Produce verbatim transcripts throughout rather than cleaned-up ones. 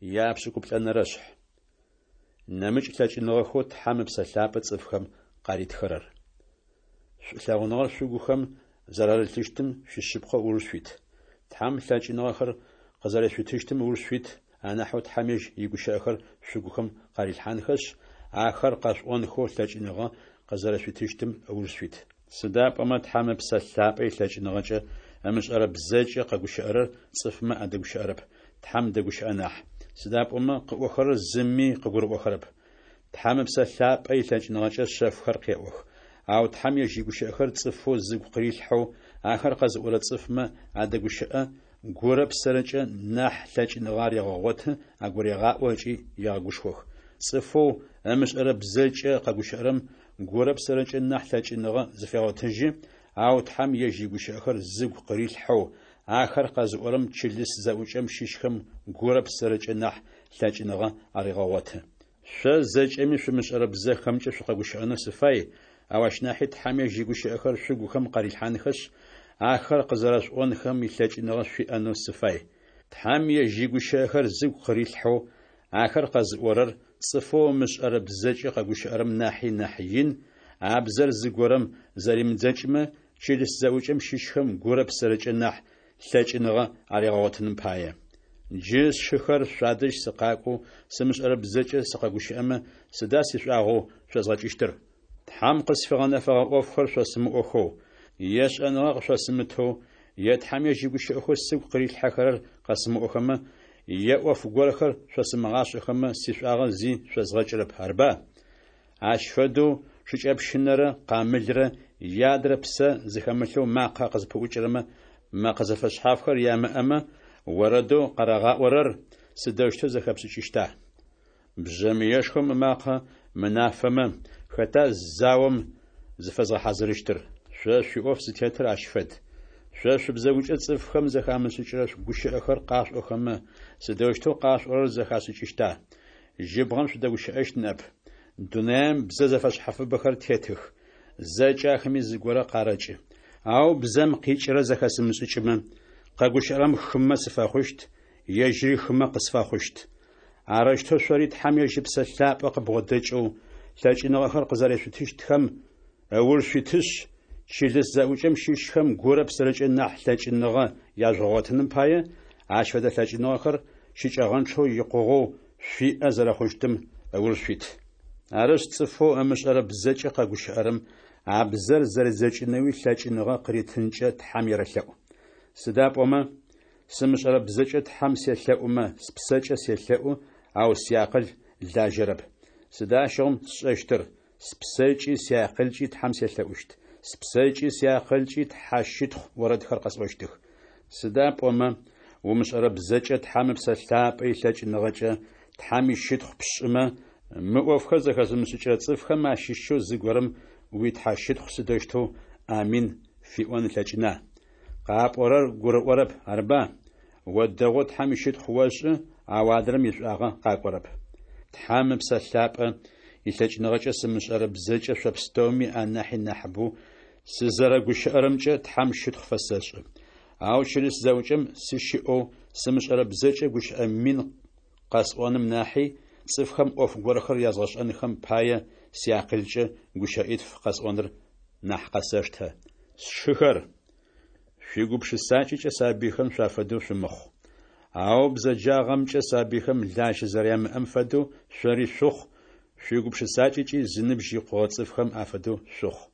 Япшӏыкӏуплӏэнэрэ шъхь. Нэмыкӏ лъэкӏыныгъэхэу Тхьэм Ыпсэ Лъапӏэ цӏыфхэм къаритхэрэр. Шӏулъэгъуныгъэр шъугухэм зэрарылъыщтым шъуишъыпкъэу ыуж шъуит. Тхьэм лъэкӏыныгъэхэр къызэрешъутыщтым ыуж шъуит, анахьэу Тхьэм ежь игущыӏэхэр шъугухэм къарилъхьанхэшъ, ахэр къэшъуӏонхэу лъэкӏыныгъэ къызэрэшъуитыщтым ыуж шъуит. Сыда пӏомэ Тхьэм Ыпсэ Лъапӏэ илъэкӏыныгъэкӏэ ымышӏэрэ бзэкӏэ къэгущыӏэрэр цӏыфмэ адэгущыӏэрэп, Тхьэм дэгущыӏэ нахь, сыда пӏомэ къыӏохэрэр зыми къыгурыӏохэрэп. Тхьэм Ыпсэ Лъапӏэ илъэкӏыныгъэкӏэ шъэфхэр къеӏох. Ау Тхьэм ежь игущыӏэхэр цӏыфэу зыгу къырилъхьэу, ахэр къэзыӏорэ цӏыфмэ адэгущыӏэ, гурэ псэрэкӏэ нахь лъэкӏыныгъэ арегъэгъоты, агурегъаӏо ыкӏи егъэгушхох. Цӏыфэу ымышӏэрэ бзэкӏэ къэгущыӏэрэм гурэ псэрэкӏэ нахь лъэкӏыныгъэ зыфегъотыжьы, ау Тхьэм ежь игущыӏэхэр зыгу къырилъхьэу, ахэр къэзыӏорэм чылыс зэӏукӏэм щыщхэм гурэ псэрэкӏэ нахь лъэкӏыныгъэ арегъэгъоты. Шъо зэкӏэми шъумышӏэрэ бзэхэмкӏэ шъукъэгущыӏэнэу сыфай, ау ащ нахьи Тхьэм ежь игущыӏэхэр шъугухэм къарилъхьанхэшъ, ахэр къызэрэшъуӏонхэм илъэкӏыныгъэ шъуиӏэнэу сыфай. Тхьэм ежь игущыӏэхэр зыгу къырилъхьэу, ахэр къэзыӏорэр цӏыфэу ымышӏэрэ бзэкӏэ къэгущыӏэрэм нахьи нахь ин, а бзэр зыгорэм зэримыдзэкӏымэ, чылыс зэӏукӏэм щыщхэм гурэ псэрэкӏэ нахь лъэкӏыныгъэ аригъэгъотыным пае. Джы, сшыхэр, шъуадэжь сыкъакӏоу сымышӏэрэ бзэкӏэ сыкъэгущыӏэмэ, сыда сишӏуагъэу шъозгъэкӏыщтыр? Тхьэм къысфигъэнэфэгъэ ӏофхэр шъосымыӏохэу, е шӏэныгъэ къышъосымытэу, е Тхьэм ежь игущыӏэхэу сыгу къырилъхьэхэрэр къэсымыӏохэмэ, е ӏоф горэхэр шъосымыгъашӏэхэмэ, сишӏуагъэ зи шъозгъэкӏырэп, арба? Ащ фэдэу шыкӏэпщынэрэ къамылрэ е адрэ псэ зыхэмылъэу макъэ къызпыӏукӏырэмэ мэкъэ зэфэшъхьафхэр ямыӏэмэ, орэдэу къарагъаӏорэр сыдэущтэу зэхэпшӏыкӏыщта? Бжъэмыешхом ымакъэ мынафэмэ, хэта заом зыфэзгъэхьазырыщтыр? Шъо шъуиӏоф зытетыр ащ фэд. Шъо шъубзэгукӏэ цӏыфхэм зэхамышӏыкӏырэ гущыӏэхэр къашъуӏохэмэ, сыдэущтэу къашъуӏорэр зэхашӏыкӏыщта? Жьыбгъэм шъудэгущыӏэщт ныӏэп. Дунаем бзэ зэфэшъхьафыбэхэр тетых, зэкӏэ ахэми зыгорэ къарэкӏы. Ау бзэм къикӏырэр зэхэсымышӏыкӏымэ, къэгущыӏэрэм хымэ сыфэхъущт, ежьыри хымэ къысфэхъущт. Арэущтэу шъори Тхьэм ежь Ыпсэ Лъапӏэ къыбгъодэкӏэу лъэкӏыныгъэхэр къызэрешъутыщтхэм ыуж шъуитышъ, чылыс зэӏукӏэм щыщхэм гурэ псэрэкӏэ нахь лъэкӏыныгъэ яжъугъэгъотыным пае, ащ фэдэ лъэкӏыныгъэхэр щыкӏэгъэнчъэу икъугъэу шъуиӏэ зэрэхъущтым ыуж шъуит. Арышъ, цӏыфэу ымышӏэрэ бзэкӏэ къэгущыӏэрэм а бзэр зэридзэкӏынэуи лъэкӏыныгъэ къыритынкӏэ Тхьэм ерэлъэӏу. Сыда пӏомэ, сымышӏэрэ бзэкӏэ Тхьэм селъэӏумэ, спсэкӏэ селъэӏу, ау сиакъыл лажьэрэп. Сыда ащыгъум сшӏэщтыр? Спсэкӏи сиакъылкӏи Тхьэм селъэӏущт, спсэкӏи сиакъылкӏи тхьэщытхъу орэдхэр къэсӏощтых. Сыда пӏомэ, умышӏэрэ бзэкӏэ Тхьэм Ыпсэ Лъапӏэ илъэкӏыныгъэкӏэ Тхьэм ищытхъу пшӏымэ, мы ӏофхэр зэхэзымышӏыкӏырэ цӏыфхэм ащыщэу зыгорэм уитхьэщытхъу сыдэущтэу «Амин» фиӏон ылъэкӏына? Къапӏорэр гурыӏорэп, арба? О дэгъоу Тхьэм ищытхъу ошӏы, ау адрэм ишӏуагъэ къакӏорэп. Тхьэм Ыпсэ Лъапӏэ илъэкӏыныгъэкӏэ сымышӏэрэ бзэкӏэ шъо пстэуми анахьи нахьыбэу сызэрэгущыӏэрэмкӏэ Тхьэм щытхъу фэсэшӏы. Ау чылыс зэӏукӏэм сыщыӏэу сымышӏэрэ бзэкӏэ гущыӏэ мин къэсӏоным нахьи, цӏыфхэм ӏоф горэхэр язгъэшӏэнхэм пае сиакъылкӏэ гущыӏитф къэсӏоныр нахь къэсэштэ. Сшыхэр, шъуигупшысакӏэкӏэ сабыйхэм шъуафэдэу шъумыхъу. Ау бзэджагъэмкӏэ сабыйхэм лажьэ зэрямыӏэм фэдэу шъори шъухъу, шъуигупшысакӏэкӏи зыныбжь икъугъэ цӏыфхэм афэдэу шъухъу.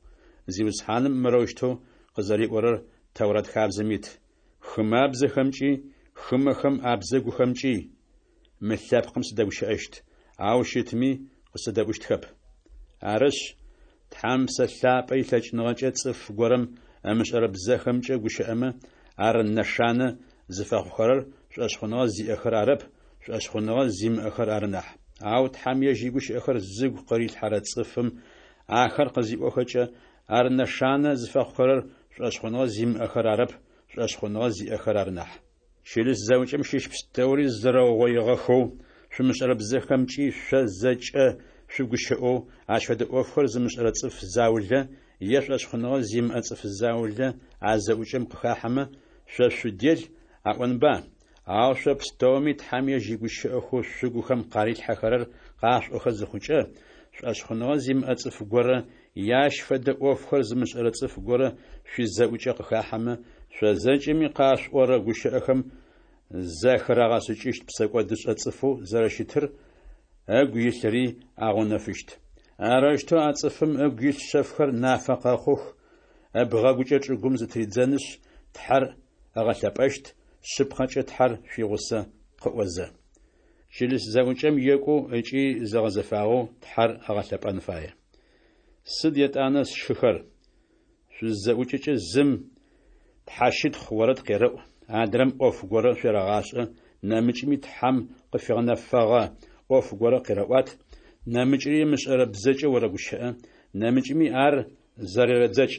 Зиусхьаным мырэущтэу къызэриӏорэр Тэурат хабзэм ит: «Хымабзэхэмкӏи, хымэхэм абзэгухэмкӏи мы лъэпкъым сыдэгущыӏэщт, ау щытми къысэдэӏущтхэп». Арышъ, Тхьэм Ыпсэ Лъапӏэ илъэкӏыныгъэкӏэ цӏыф горэм ымышӏэрэ бзэхэмкӏэ гущыӏэмэ, ар нэшанэ зыфэхъухэрэр шӏошъхъуныгъэ зиӏэхэр арэп, шӏошъхъуныгъэ зимыӏэхэр ары нахь. Ау Тхьэм ежь игущыӏэхэр зыгу къырилъхьэрэ цӏыфым ахэр къызиӏохэкӏэ, ар нэшанэ зыфэхъухэрэр шӏошъхъуныгъэ зимыӏэхэр арэп, шӏошъхъуныгъэ зиӏэхэр ары нахь. Чылыс зэӏукӏэм щыщ пстэури зэрэугъоигъэхэу, шъумышӏэрэ бзэхэмкӏи шъо зэкӏэ шъугущыӏэу, ащ фэдэ ӏофхэр зымышӏэрэ цӏыф заулэ е шӏошъхъуныгъэ зимыӏэ цӏыф заулэ а зэӏукӏэм къыхахьэмэ, шъо шъудел аӏонба, Ау шъо пстэуми Тхьэм ежь игущыӏэхэу шъугухэм къарилъхьэхэрэр къашъуӏохэ зыхъукӏэ, шӏошъхъуныгъэ зимыӏэ цӏыф горэ е ащ фэдэ ӏофхэр зымышӏэрэ цӏыф горэ шъуизэӏукӏэ къыхахьэмэ, шъо зэкӏэми къашъуӏорэ гущыӏэхэм зэхырагъэшӏыкӏыщт псэкӏодышӏэ цӏыфэу зэрэщытыр, ыгу илъыри агъэунэфыщт. Арэущтэу а цӏыфым ыгу илъ шъэфхэр нафэ къэхъух, ыбгъэгукӏэ чӏыгум зытыридзэнышъ, Тхьэр ыгъэлъэпӏэщт, Шъыпкъэкӏэ Тхьэр шъуигъусэ къыӏозэ. Чылыс зэӏукӏэм екӏоу ыкӏи зэгъэзэфагъэу Тхьэр ыгъэлъэпӏэн фае. Сыд етӏанэ, сшыхэр? Шъузызэӏукӏэкӏэ зым тхьэщытхъу орэд къерэӏу, адрэм ӏоф горэ шъуерэгъашӏэ, нэмыкӏми Тхьэм къыфигъэнэфэгъэ ӏоф горэ къерэӏуат, нэмыкӏри ымышӏэрэ бзэкӏэ орэгущыӏэ, нэмыкӏми ар зэрерэдзэкӏ.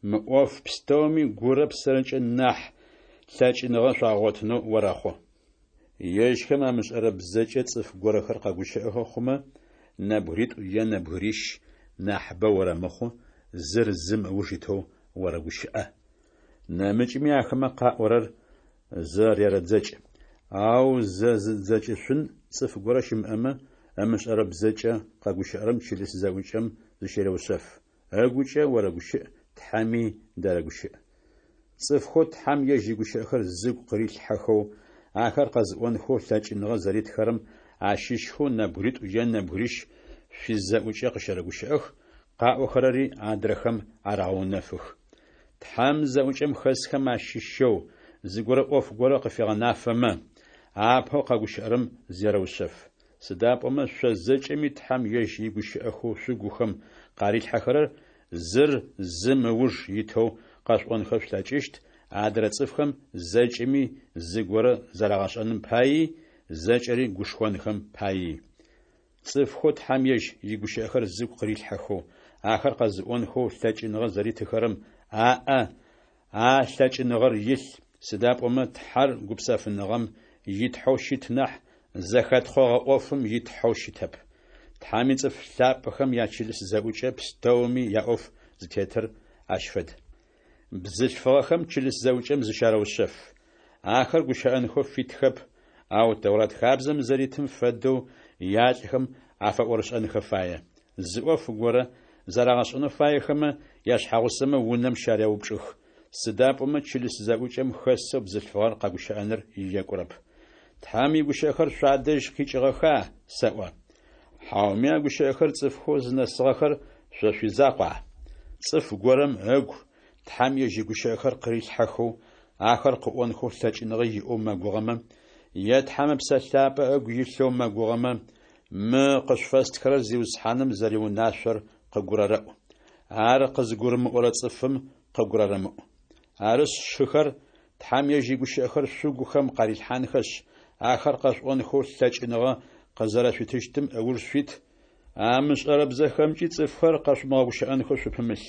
Мы ӏоф пстэуми гурэ псэрэкӏэ нахь лъэкӏыныгъэ шъуагъотынэу орэхъу. Ежьхэм амышӏэрэ бзэкӏэ цӏыф горэхэр къэгущыӏэхэ хъумэ, нэбгыритӏу е нэбгырищ, нахьыбэ орэмыхъу, зыр зым ыуж итэу орэгущыӏэ. Нэмыкӏми ахэмэ къаӏорэр зэрерэдзэкӏ. Ау зэзыдзэкӏышъун цӏыф горэ щымыӏэмэ, ымышӏэрэ бзэкӏэ къэгущыӏэрэм чылыс зэӏукӏэм зыщерэушъэф. Ыгукӏэ орэгущыӏ, Тхьэми дэрэгущыӏ. Цӏыфхэу Тхьэм ежь игущыӏэхэр зыгу къырилъхьэхэу, ахэр къэзыӏонхэу лъэкӏыныгъэ зэритхэрэм ащыщхэу нэбгыритӏу е нэбгырищ шъуизэӏукӏэ къыщэрэгущыӏэх, къаӏохэрэри адрэхэм арагъэунэфых. Тхьэм зэӏукӏэм хэсхэм ащыщэу зыгорэ ӏоф горэ къыфегъэнафэмэ, апэу къэгущыӏэрэм зерэушъэф. Сыда пӏомэ шъо зэкӏэми Тхьэм ежь игущыӏэхэу шъугухэм къарилъхьэхэрэр зыр зым ыуж итэу къэшъуӏонхэ шъулъэкӏыщт, адрэ цӏыфхэм зэкӏэми зыгорэ зэрагъэшӏэным паий, зэкӏэри гушхонхэм паий. Цӏыфхэу Тхьэм ежь игущыӏэхэр зыгу къырилъхьэхэу, ахэр къэзыӏонхэу лъэкӏыныгъэ зэритыхэрэм аӏэ а лъэкӏыныгъэр илъ, сыда пӏомэ Тхьэр гупсэфыныгъэм и Тхьэу щыт нахь, зэхэтхъогъэ ӏофым и Тхьэу щытэп. Тхьэм ицӏыф лъапӏэхэм ячылыс зэӏукӏэ пстэуми яӏоф зытетыр ащ фэд. Бзылъфыгъэхэм чылыс зэӏукӏэм зыщарэушъэф. Ахэр гущыӏэнхэу фитхэп, ау Тэурат хабзэм зэритым фэдэу ялӏхэм афэӏорышӏэнхэ фае. Зы ӏоф горэ зэрагъэшӏэнэу фаехэмэ, яшъхьэгъусэмэ унэм щареупчӏых, сыда пӏомэ чылыс зэӏукӏэм хэсэу бзылъфыгъэр къэгущыӏэныр екӏурэп. Тхьэм игущыӏэхэр шъуадэжь къикӏыгъэха, сэӏо? Хьауми а гущыӏэхэр цӏыфхэу зынэсыгъэхэр шъо шъуизакъуа? Цӏыф горэм ыгу Тхьэм ежь игущыӏэхэр къырилъхьэхэу, ахэр къыӏонхэу лъэкӏыныгъэ иӏэу мэгугъэмэ, е Тхьэм Ыпсэ Лъапӏэ ыгу илъэу мэгугъэмэ, мы къышъуфэстхырэр Зиусхьаным зэриунашъор къыгурэрэӏу. Ар къызыгурымыӏорэ цӏыфым къыгурэрэмыӏу. Арышъ, сшыхэр, Тхьэм ежь игущыӏэхэр шъугухэм къарилъхьанхэшъ, ахэр къэшъуӏонхэу лъэкӏыныгъэ къызэрэшъуитыщтым ыуж шъуит, амышӏэрэ бзэхэмкӏи цӏыфхэр къэшъумыгъэгущыӏэнхэу шъупымылъ.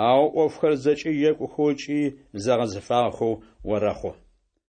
Ау ӏофхэр зэкӏэ екӏухэу ыкӏи зэгъэзэфагъэхэу орэхъу.